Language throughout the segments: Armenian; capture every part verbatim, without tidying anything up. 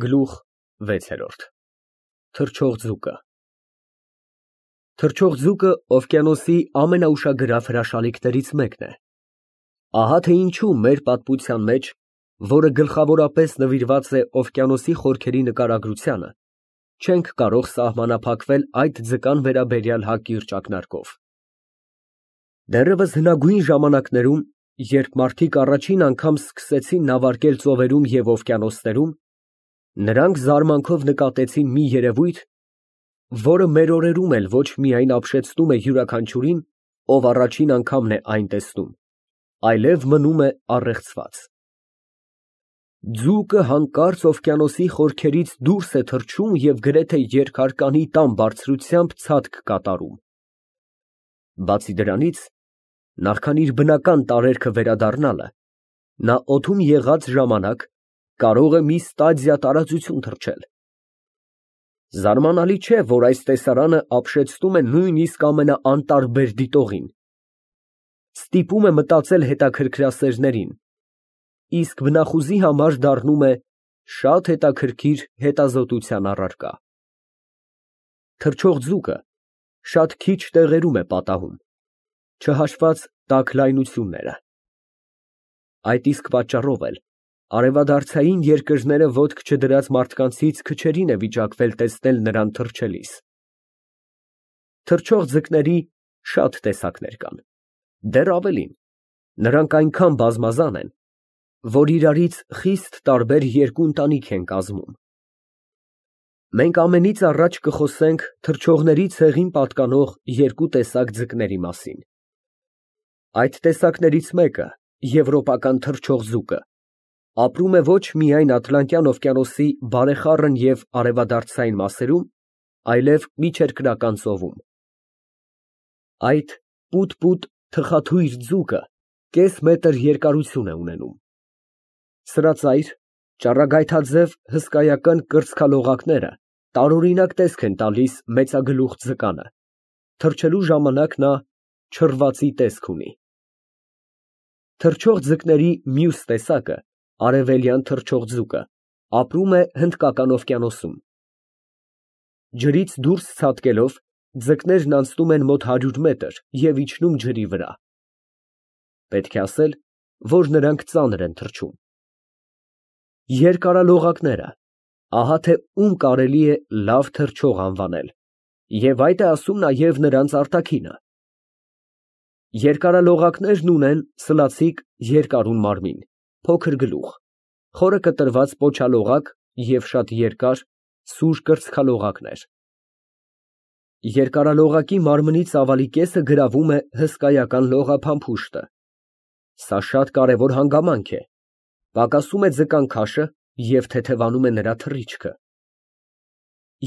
Գլուխ վեցերորդ Թռչող ձուկը Թռչող ձուկը օվկիանոսի ամենաուշագրավ հրաշալիքներից մեկն է։ Ահա թե ինչու մեր պատմության մեջ, որը գլխավորապես նվիրված է օվկիանոսի խորքերի նկարագրությանը, չենք կարող սահմանափակվել այդ ձկան վերաբերյալ հակիրճ ակնարկով։ Դեռևս հնագույն ժամանակներում, երբ մարդիկ առաջին անգամ սկսեցին նավարկել ծովերում և օվկիանոսներում, նրանք զարմանքով նկատեցին մի երևույթ, որը մեր օրերում էլ ոչ միայն ապշեցնում է յուրաքանչյուրին, ով առաջին անգամն է այն տեսնում, այլև մնում է առեղծված։ Ձուկը հանկարծ օվկիանոսի խորքերից դուրս է թռչում և գրեթե երկհարկանի տան բարձրությամբ ցատք կատարում։ Բացի դրանից, նախքան իր բնական տարերքը վերադառնալը, նա օդում եղած ժամանակ կարող է մի ստադիա տարածություն թռչել։ Զարմանալի չէ, որ այս տեսարանը ապշեցնում է նույնիսկ ամենաանտարբեր դիտողին, ստիպում է մտածել հետաքրքրասերներին, իսկ բնախուզի համար դառնում է շատ հետաքրքիր հետազոտության առարկա։ Թռչող ձուկը շատ քիչ տեղերում է պատահում, չհաշված տաք լայնությունները։ Այդ իսկ պատճառով էլ արևադարձային երկրները ոտք չդրած մարդկանցից քչերին է վիճակվել տեսնել նրան թռչելիս։ Թռչող ձկների շատ տեսակներ կան, դեռ ավելին, նրանք այնքան բազմազան են, որ իրարից խիստ տարբեր երկու ընտանիք են կազմում։ Մենք ամենից առաջ կխոսենք թռչողների ցեղին պատկանող երկու տեսակ ձկների մասին։ Այդ տեսակներից մեկը, եվրոպական թռչող ձուկը, ապրում է ոչ միայն Ատլանտյան օվկիանոսի բարեխառն և արևադարձային մասերում, այլև Միջերկրական ծովում։ Այդ պուտ֊պուտ թխաթույր ձուկը կես մետր երկարություն է ունենում։ Սրածայր, ճառագայթաձև հսկայական կրծքալողակները տարօրինակ տեսք են տալիս մեծագլուխ ձկանը, թռչելու ժամանակ նա չռվածի տեսք ունի։ Թռչող ձկների մյուս տեսակը, արևելյան թռչող ձուկը, ապրում է Հնդկական օվկիանոսում։ Ջրից դուրս ցատկելով, ձկներն անցնում են մոտ հարյուր մետր և իջնում ջրի վրա։ Պետք է ասել, որ նրանք ծանր են թռչում։ Երկարալողակները, ահա թե ում կարելի է լավ թռչող անվանել, և այդ է ասում նաև նրանց արտաքինը։ Երկարալողակներն ունեն սլացիկ երկարուն մարմին, փոքր գլուխ, խորը կտրված պոչալողակ և շատ երկար, սուր կրծքալողակներ։ Երկարալողակի մարմնի ծավալի կեսը գրավում է հսկայական լողափամփուշտը։ Սա շատ կարևոր հանգամանք է, պակասում է ձկան քաշը և թեթևանում է նրա թռիչքը։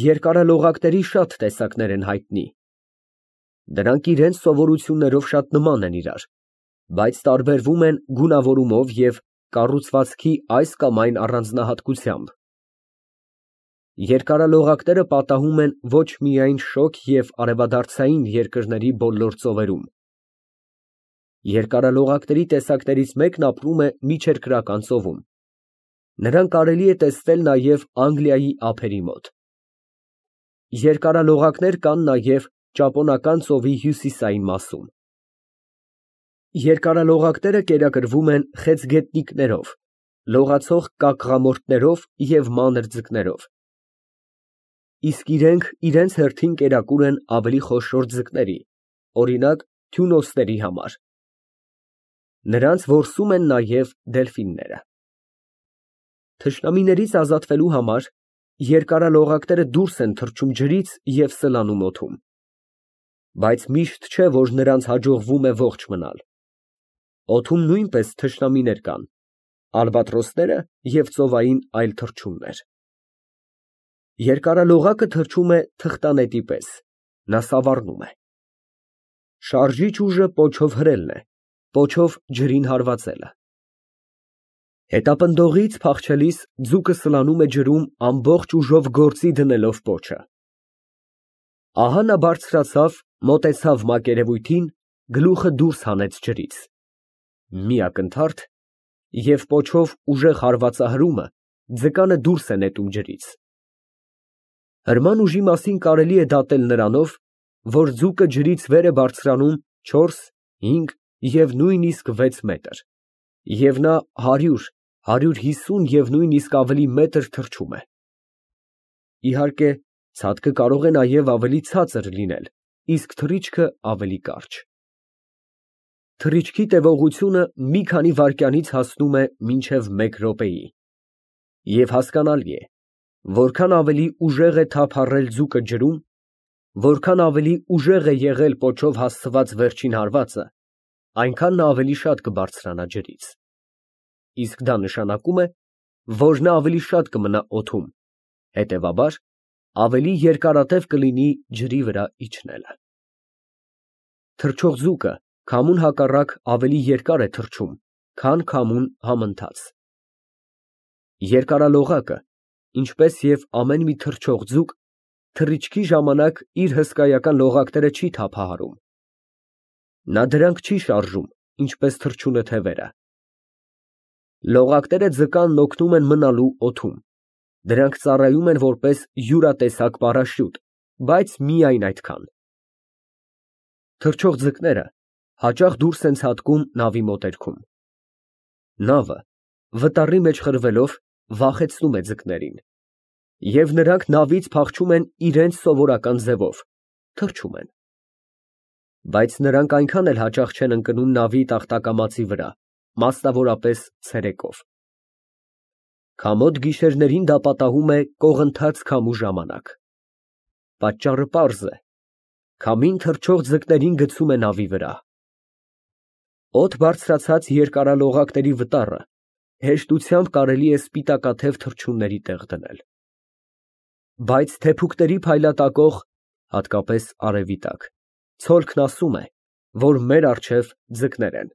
Երկարալողակների շատ տեսակներ են հայտնի։ Դրանք իրենց սովորություններով շատ նման են իրար, բայց տարբերվում են գունավորումով և կառուցվածքի այս կամ այն առանձնահատկությամբ։ Երկարալողակները պատահում են ոչ միայն շոգ և արևադարձային երկրների բոլոր ծովերում։ Երկարալողակների տեսակներից մեկն ապրում է Միջերկրական ծովում։ Նրան կարելի է տեսնել նաև Անգլիայի ափերի մոտ։ Երկարալողակներ կան նաև Ճապոնական ծովի հյուսիսային մասում։ Երկարալողակները կերակրվում են խեցգետնիկներով, լողացող կակղամորթներով և մանր ձկներով։ Իսկ իրենք իրենց հերթին կերակուր են ավելի խոշոր ձկների, օրինակ թյունոսների համար։ Նրանց որսում են նաև դելֆինները։ Թշնամիներից ազատվելու համար երկարալողակները դուրս են թռչում ջրից և սլանում օդում։ Բայց միշտ չէ, որ նրանց հաջողվում է ողջ մնալ։ Օդում նույնպես թշնամիներ կան, ալբատրոսները և ծովային այլ թռչուններ։ Երկարալողակը թռչում է թղթանետի պես, նա սավառնում է։ Շարժիչ ուժը պոչով հրելն է, պոչով ջրին հարվածելը։ Հետապնդողից փախչելիս ձուկը սլանում է ջրում ամբողջ ուժով գործի դնելով պոչը։ Ահա նա բարձրացավ, մոտեցավ մակերևույթին, գլուխը դուրս հանեց ջրից։ Մի ակնթարթ, և պոչով ուժեղ հարվածահրումը ձկանը դուրս է նետում ջրից։ Հրման ուժի մասին կարելի է դատել նրանով, որ ձուկը ջրից վեր է բարձրանում չորս, հինգ և նույնիսկ վեց մետր, և նա հարյուր, հարյուր հիսուն և նույնիսկ ավելի մետր թռչում է։ Իհարկե, ցատկը կարող է նաև ավելի ցածր լինել, իսկ թռիչքը ավելի կարճ։ Թռիչքի տևողությունը մի քանի վայրկյանից հասնում է մինչև մեկ րոպեի, և հասկանալի է, որքան ավելի ուժեղ է թափառել ձուկը ջրում, որքան ավելի ուժեղ է եղել պոչով հասցված վերջին հարվածը, այնքան նա ավելի շատ կբարձրանա ջրից, իսկ դա նշանակում է, որ նա ավելի շատ կմնա օդում, հետևաբար, ավելի երկարատև կլինի ջրի վրա իջնելը։ Թռչող ձուկը քամուն հակառակ ավելի երկար է թռչում, քան քամուն համընթաց։ Երկարալողակը, ինչպես և ամեն մի թռչող ձուկ, թռիչքի ժամանակ իր հսկայական լողակները չի թափահարում։ Նա դրանք չի շարժում, ինչպես թռչունը թևերը։ Լողակները ձկանն օգնում են մնալու օդում, դրանք ծառայում են որպես յուրատեսակ պարաշյուտ, բայց միայն այդքան։ Թռչող ձկները հաճախ դուրս են ցատկում նավի մոտերքում։ Նավը, վտարի մեջ խրվելով, վախեցնում է ձկներին, և նրանք նավից փախչում են իրենց սովորական ձևով, թռչում են։ Բայց նրանք այնքան էլ հաճախ չեն ընկնում նավի տախտակամածի վրա, մասնավորապես ցերեկով։ Քամոտ գիշերներին դա պատահում է կողընթաց քամու ժամանակ։ Պատճառը պարզ է. քամին թռչող ձկներին գցում է նավի վրա։ Օդ բարձրացած երկարալողակների վտառը հեշտությամբ կարելի է սպիտակաթև թռչունների տեղ դնել։ Բայց թեփուկների փայլատակող, հատկապես արևի տակ, ցոլքն ասում է, որ մեր առջև ձկներ են։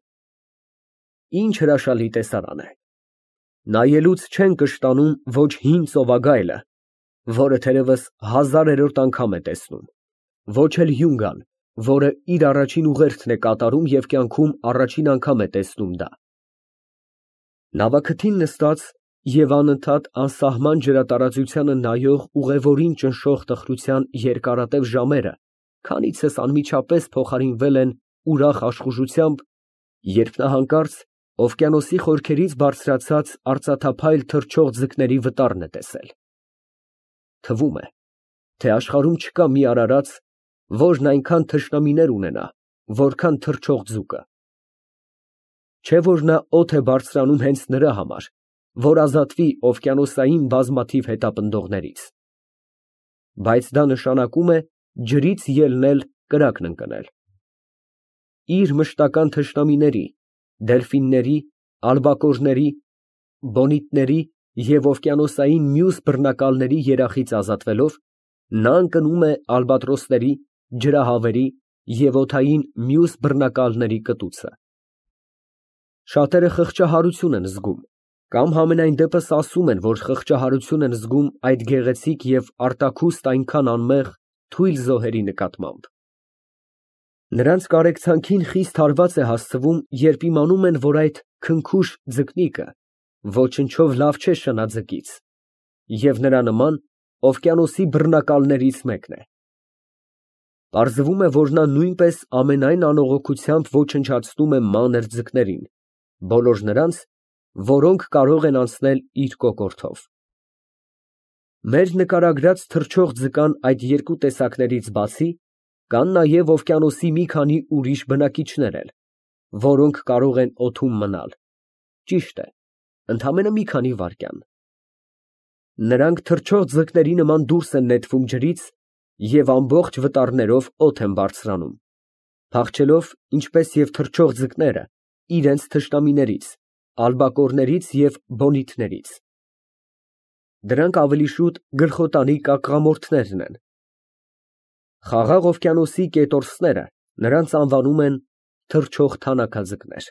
Ինչ հրաշալի տեսարան է։ Նայելուց չեն կշտանում ոչ հին ծովագայլը, որը թերևս հազարերորդ անգամ է տեսնում, ոչ էլ հյունգան, որը իր առաջին ուղերձն է կատարում և կյանքում առաջին անգամ է տեսնում դա։ Նավաքթին նստած և անընդհատ անսահման ջրատարածությանը նայող ուղևորին ճնշող տխրության երկարատև ժամերը քանիցս անմիջապես փոխարինվել են ուրախ աշխուժությամբ, երբ նա հանկարծ օվկիանոսի խորքերից բարձրացած արծաթափայլ թռչող ձկների վտարն է տեսել։ Թվում է, թե աշխարհում չկա մի արարած, որն այնքան թշնամիներ ունենա, որքան թռչող ձուկը։ Չէ՞ որ նա օդ է բարձրանում հենց նրա համար, որ ազատվի օվկիանոսային բազմաթիվ հետապնդողներից։ Բայց դա նշանակում է ջրից ելնել, կրակն ընկնել։ Իր մշտական թշնամիների՝ դելֆինների, ալբակորների, բոնիտների և օվկիանոսային մյուս բռնակալների երախից ազատվելով, նա ընկնում է ալբատրոսների, ջրահավերի և օդային մյուս բռնակալների կտուցը։ Շատերը խղճահարություն են զգում կամ համենայն դեպս ասում են, որ խղճահարություն են զգում այդ գեղեցիկ և արտաքուստ այնքան անմեղ, թույլ զոհերի նկատմամբ։ Նրանց կարեկցանքին խիստ հարված է հասցվում, երբ իմանում են, որ այդ քնքուշ ձկնիկը ոչնչով լավ չէ շնաձկից, և նրա նման օվկիանոսի բռնակալներից մեկն է։ Պարզվում է, որ նա նույնպես ամենայն անողոքությամբ ոչնչացնում է մանր ձկներին, բոլոր նրանց, որոնք կարող են անցնել իր կոկորդով։ Մեր նկարագրած թռչող ձկան այդ երկու տեսակներից բացի, կան նաև օվկիանոսի մի քանի ուրիշ բնակիչներ էլ, որոնք կարող են օդում մնալ, ճիշտ է, ընդամենը մի քանի վայրկյան։ Նրանք թռչող ձկների նման դուրս են նետվում ջրից և ամբողջ վտարներով օդ են բարձրանում, փախչելով, ինչպես և թռչող ձկները, իրենց թշնամիներից, ալբակորներից և բոնիտներից։ Դրանք ավելի շուտ գլխոտանի կակղամորթներն են։ Խաղաղ օվկիանոսի կետորսները նրանց անվանում են թռչող թանաքաձկներ։